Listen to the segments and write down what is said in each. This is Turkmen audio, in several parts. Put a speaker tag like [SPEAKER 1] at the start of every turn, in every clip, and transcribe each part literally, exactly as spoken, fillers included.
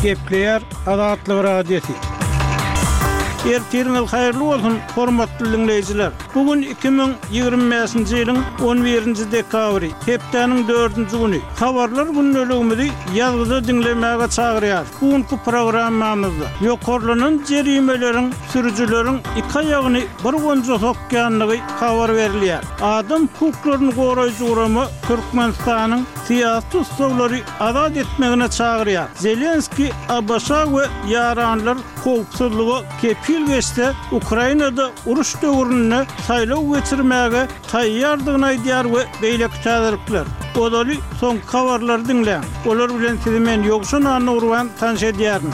[SPEAKER 1] Gepleýär Azatlyk Radiosy. Ertiriňiz haýyrly bolsun, hormatly diňleýjiler! Bu gün iki müň ýigrimi bäşinji ýylyň on birinji dekabry, hepdäniň dördünji güni. Habarlar gündeligimizi ýazgyda diňlemäge çagyrýarys. Bu günki programmamyzda ýokarlanan jerimeleriň sürüjileriň iki aýagyny bir gonja sokýandygy habar berilýär. Adam hukuklaryny goraýjy gurama Türkmenistanyň syýasy tussaglary azat etmegine çagyrýar. Zelenskiý ABŞ we ýaranlar howpsuzlyga kepil geçse, Ukrainada uruş döwründe saýlaw geçirmäge taýýardygyny aýdýar we beýleki täzelikler. Ozaly soňky habarlary diňläň. Olar bilen sizi men Ýowşan Annagurban tanyş edýärin.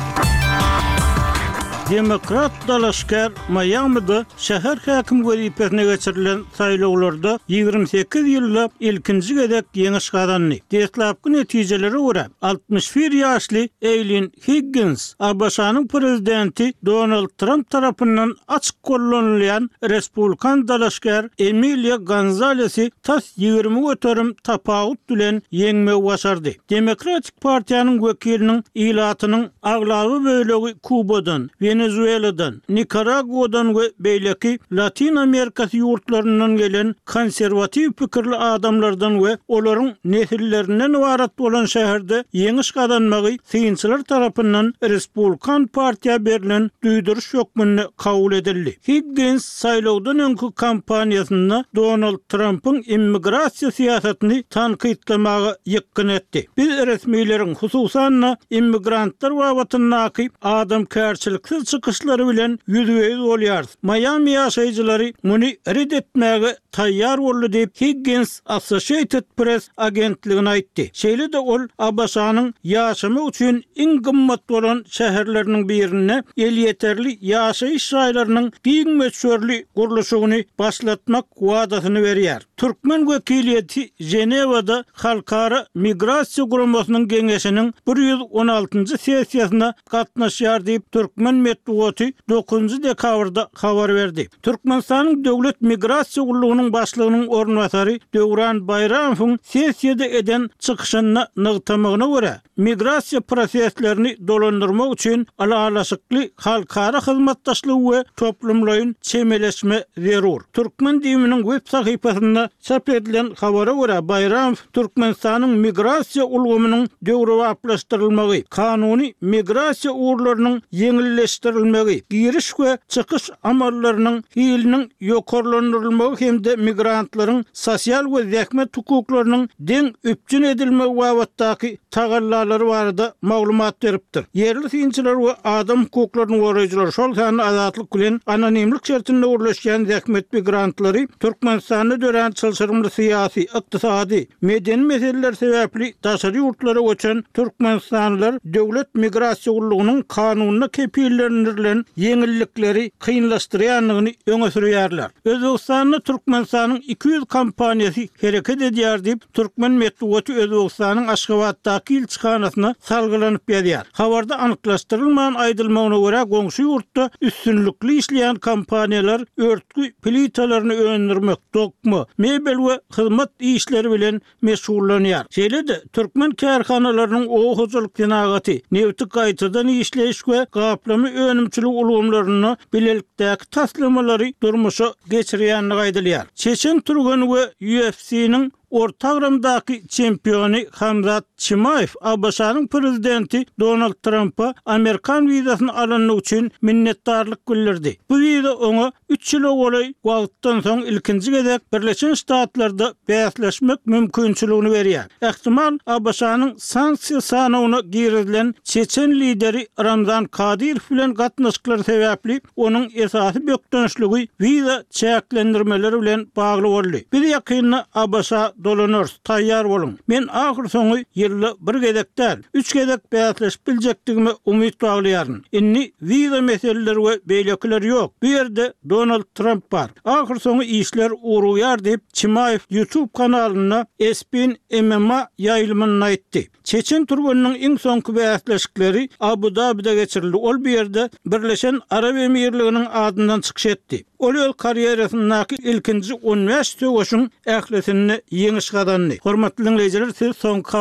[SPEAKER 1] Demokrat dalaşgär Maýamide şäher häkim wezipesine geçirilen saýlawlarda ýigrimi sekiz ýylda ilkinji gezek ýeňiş gazandy. Deslapky netijelere görä, altmyş bir ýaşly Eýlin Higgins ABŞ-nyň prezidenti Donald Tramp tarapyndan açyk gollanylýan respublikan dalaşgär Emiliýa Gonzalesi tas ýigrimi göterim tapawut bilen ýeňmegi başardy. Demokratik partiýanyň wekiliniň ilatynyň aglaba bölegi Kubadan, Wenezueladan, Nikaraguadan we beýleki Latin Amerikasy ýurtlaryndan gelen konserwatiw pikirli adamlardan we olaryň nesillerinden ybarat bolan şäherde ýeňiş gazanmagy synçylar tarapyndan Respublikan partiýa berlen duýduryş hökmünde kabul edildi. Higgins saýlawdan öňki kampaniýasynda Donald Trampyň immigrasiýa syýasatyny tankytlamaga ýykgyn etdi. Biz resmileriň, hususan-da immigrantlar babatyndaky adamkärçiliksiz çykyşlary bilen ýüzbe-ýüz bolýarys. Maýami ýaşaýjylary muny ret etmäge taýýar boldy diýip, Higgins Associated Press agentligine aýtdy. Şeýle-de ol ABŞ-nyň ýaşamak üçin iň gymmat bolan şäherleriniň birinde elýeterli ýaşaýyş jaýlarynyň giň möçberli gurluşygyny başlatmak wadasyny berýär. Türkmen wekiliýeti Ženewada Halkara migrasiýa guramasynyň geňeşiniň bir ýüz on altynjy sessiýasyna gatnaşýar diýip, türkmen metbugaty dokuzynjy dekabrda habar berdi. Türkmenistanyň Döwlet migrasiýa gullugynyň başlygynyň orunbasary Döwran Baýramowyň sessiýada eden çykyşynda nygtamagyna görä, migrasiýa proseslerini dolandyrmak üçin ylalaşykly halkara hyzmatdaşlygy we toplumlaýyn çemeleşme zerur. Türkmen DIM-niň web sahypasynda çap edilen habara görä, Baýramow Türkmenistanyň migrasiýa ulgamynyň döwrebaplaşdyrylmagy, kanuny migrasiýa ugurlarynyň ýeňilleşdirilmegi, giriş we çykyş amallarynyň hiliniň ýokarlandyrylmagy hem-de migrantlaryň sosial we zähmet hukuklarynyň deň üpjün edilmegi babatdaky tagallalary barada maglumat beripdir. Ýerli synçylar we adam hukuklaryny goraýjylar, şol sanda Azatlyk bilen anonimlik şertinde gürleşýän zähmet migrantlary Türkmenistanda dörän çylşyrymly syýasy, ykdysady, medeni meseleler sebäpli daşary ýurtlara göçen türkmenistanlylar döwlet migrasiýa gullugynyň kanunda kepillendirilen ýeňillikleri kynlaşdyrýandygyny öňe sürýärler. Özbegistanda Türkmenistanyň iki ýüz kompaniýasy hereket edýär diýip, türkmen metbugaty Özbegistanyň Aşgabatdaky ilçihanasyna salgylanyp ýazýar. Habarda anyklaşdyrylman aýdylmagyna görä, goňşy ýurtda üstünlikli işleýän kompaniýalar örtgi plitalaryny öndürmek, dokma, mebel we hyzmat işleri bilen meşgullanýar. Şeýle-de, türkmen kärhanalarynyň oba hojalyk senagaty, nebti gaýtadan işleýiş we gaplama önümçiligi ulgamlarynda bilelikdäki taslamalary durmuşa geçirýändigi aýdylýar. Çeçen türgeni we U F C-niň orta agramdaky çempiony Hamzat Çimaýew ABŞ-nyň prezidenti Donald Trampa amerikan wizasyny alandygy üçin minnetdarlyk bildirdi. Bu wiza oňa üç ýyla golaý wagtdan soň ilkinji gezek Birleşen Ştatlarda bäsleşmek mümkinçiligini berýär. Ähtimal, ABŞ-nyň sanksiýa sanawyna girizilen çeçen lideri Ramzan Kadyrow bilen gatnaşyklary sebäpli onuň esasy bökdençligi wiza çäklendirmeleri bilen bagly boldy. Biz ýakynda ABŞ-a dolanarys, taýýar boluň. Men ahyrsoňy ýylda bir gezek däl, üç gezek bäsleşip biljekdigime umyt baglaýaryn. Indi wiza meseleleri we beýlekiler ýok. Bu ýerde Donald Tramp bar. Ahyrsoňy işler ugrugýar diýip, Çimaýew YouTube kanalynda Espin M M A ýaýlymynda aýtdy. Çeçen türgeniniň iň soňky bäsleşikleri Abu-Dabide geçirildi. Ol bu ýerde Birleşen Arap Emirliginiň adyndan çykyş etdi. Ol öz karýerasyndaky ilkinji on bäş söweşiň ählisinde ýeňiş gazandy. Hormatly diňleýjiler, siz soňky